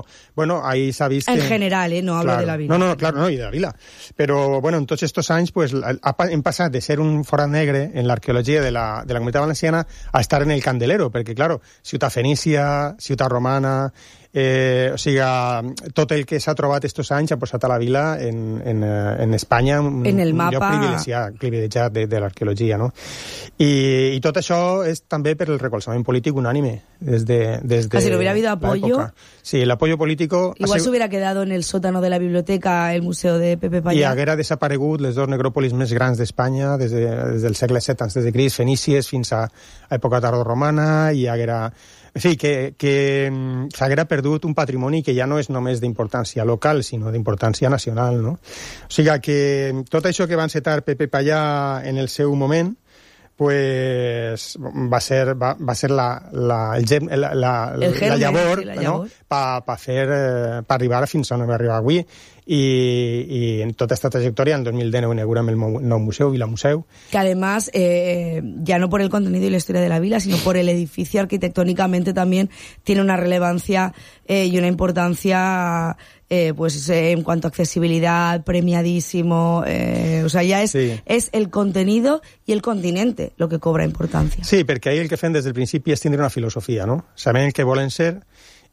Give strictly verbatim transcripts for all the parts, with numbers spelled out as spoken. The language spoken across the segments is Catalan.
però, bueno, ahí s'ha vist... En que... general, eh? No hablo claro. de la vila. No, no, claro, no, y de la vila. Pero, bueno, en tots estos anys, pues, hem passat de ser un forat negre en l'arqueologia de la, de la Comunitat Valenciana a estar en el candelero, perquè, claro, ciutat fenícia, ciutat romana... Eh, o sigui, tot el que s'ha trobat estos anys ha posat a la vila en, en, en Espanya un, en el mapa... un lloc privilegiat, privilegiat de, de l'arqueologia, no? I, i tot això és també per el recolzament polític unànime des de, des de ah, si no hubiera habido apoyo... Sí, el apoyo político... Igual sigut... se hubiera quedado en el sótano de la biblioteca el museu de Pepe Payá. I haguera desaparegut les dues necròpolis més grans d'Espanya des, de, des del segle set antes de Crist, fenícies fins a, a època tardoromana, i haguera... En fi, que, que s'haguera perdut un patrimoni que ja no és només d'importància local, sinó d'importància nacional, no? O sigui que tot això que va encetar Pepe Payá en el seu moment, pues va ser, va, va ser la, la, el gem, la, la, el germen, la llavor, sí, la llavor. No? Pa, pa fer, eh, pa arribar fins on va arribar avui. I, y en toda esta trayectoria, en dos mil dinou inauguramos el nou museu, Vila Museu. Que además, eh, ya no por el contenido y la historia de la vila, sino por el edificio arquitectónicamente también tiene una relevancia eh, y una importancia eh, pues eh, en cuanto a accesibilidad, premiadísimo, eh, o sea, ya es, sí. es el contenido y el continente lo que cobra importancia. Sí, perquè ahí el que fem des del principi és tindre una filosofia, no? Sabem el que volen ser,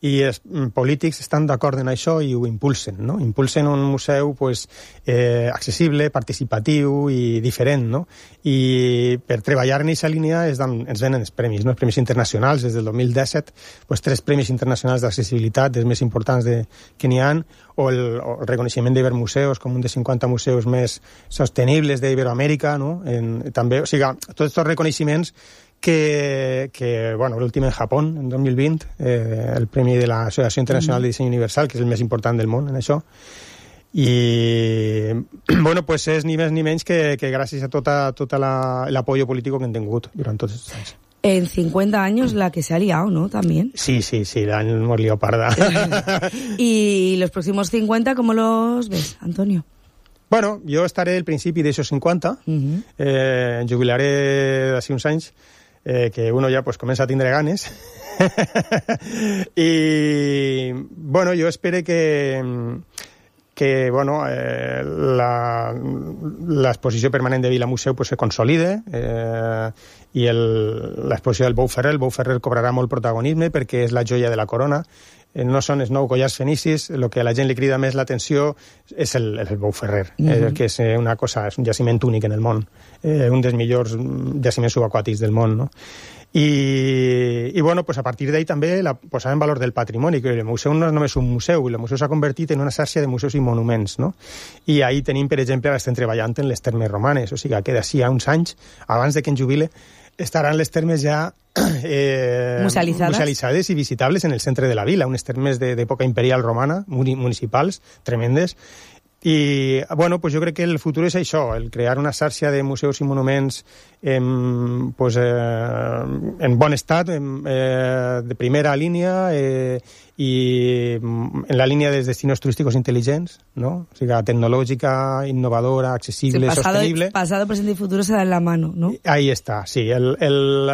i els polítics estan d'acord en això i ho impulsen, no? Impulsen un museu pues, eh, accessible, participatiu i diferent, no? I per treballar en aquesta línia es dan, ens venen els premis, no? Els premis internacionals, des del dos mil disset, pues, tres premis internacionals d'accessibilitat, dels més importants de, que n'hi ha, o el, o el reconeixement d'Ibermuseus com un dels cinquanta museus més sostenibles d'Iberoamèrica, no? En, també, o sigui, tots aquests reconeixements que, que bueno, l'últim en Japó, en dos mil vint, eh, el premi de l'Associació Internacional de Disseny Universal, que és el més important del món en això. I, bueno, pues és ni més ni menys que, que gràcies a tota, tota l'apoyo político que han tingut durant tots aquests anys. En cincuenta años la que se ha liado, ¿no? También. Sí, sí, sí, la hemos liado parda. ¿Y los próximos cincuenta cómo los ves, Antonio? Bueno, jo estaré al principi d'aixos cinquanta, uh-huh. eh, jubilaré d'ací uns anys, eh, que uno ja pues, comença a tindre ganes. I, bueno, jo espero que, que bueno, eh, l'exposició permanent de Vila Museu pues, se consolide, eh, i l'exposició del Bou Ferrer, el Bou Ferrer cobrarà molt protagonisme perquè és la joia de la corona. No són els nou collars fenicis, el que a la gent li crida més l'atenció és el, el Bou Ferrer, mm-hmm. eh, que és una cosa, és un jaciment únic en el món, eh, un dels millors jaciments subaquàtics del món, no? I, i bueno, pues a partir d'ahí també la posar en valor del patrimoni, que el museu no és només un museu, el museu s'ha convertit en una xarxa de museus i monuments, no? I ahí tenim, per exemple, ara estem treballant en les termes romanes, o sigui que d'ací a uns anys, abans de que en jubile, estaran les termes ja eh, musealitzades. musealitzades i visitables en el centre de la vila, unes termes d'època imperial romana, municipals, tremendes. I, bueno, pues jo crec que el futur és això, el crear una xarxa de museus i monuments en, pues, eh, en bon estat, en, eh, de primera línia, eh, i en la línia dels destinos turísticos intel·ligents, ¿no? O sigui, tecnològica, innovadora, accessible, sí, pasado, sostenible. Pasado, presente y futuro se dan en la mano, ¿no? Ahí está, sí. El, el,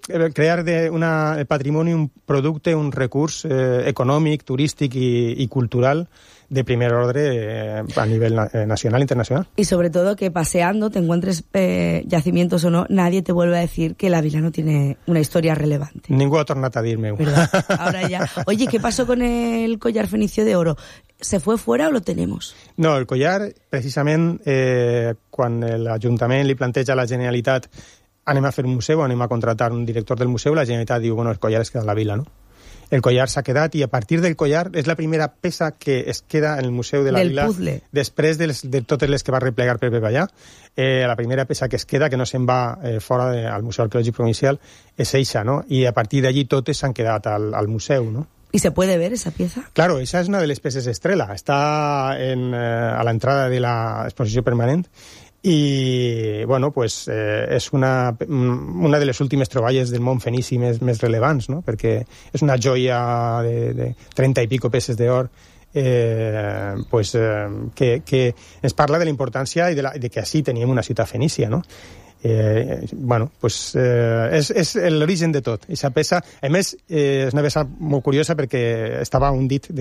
el crear de una, el patrimoni un producte, un recurs eh, econòmic, turístic i, i cultural de primer ordre eh, a nivel na nacional e internacional. Y sobre todo que paseando te encuentres eh, yacimientos o no, nadie te vuelve a decir que la vila no tiene una historia relevante. Ningú ha tornat a dir-me-ho. Ahora ya. Oye, ¿qué pasó con el collar fenicio de oro? ¿Se fue fuera o lo tenemos? No, el collar, precisament, eh, quan l'Ajuntament li planteja a la Generalitat anem a fer un museu, anem a contratar un director del museu, la Generalitat diu, bueno, el collar es queda a la vila, no? El collar s'ha quedat i a partir del collar és la primera peça que es queda en el Museu de la del Vila puzzle. Després de, les, de totes les que va replegar Pepe Payá. Eh, la primera peça que es queda, que no se'n va eh, fora de, al Museu Arqueològic Provincial, és eixa, no? I a partir d'allí totes s'han quedat al, al museu, no? ¿Y se puede ver esa pieza? Claro, esa es una de les peces estrella. Està en, eh, a la entrada de la exposició permanent. I, bueno, pues, eh, és una, una de les últimes troballes del món fenici més, més rellevants, no? Perquè és una joia de, de trenta i pico peces d'or eh, pues, eh, que, que ens parla de la importància i de, la, de que així teníem una ciutat fenícia, no? Eh, bueno, pues eh, és, és l'origen de tot. Aquesta peça, a més, eh, és una peça molt curiosa perquè estava un dit de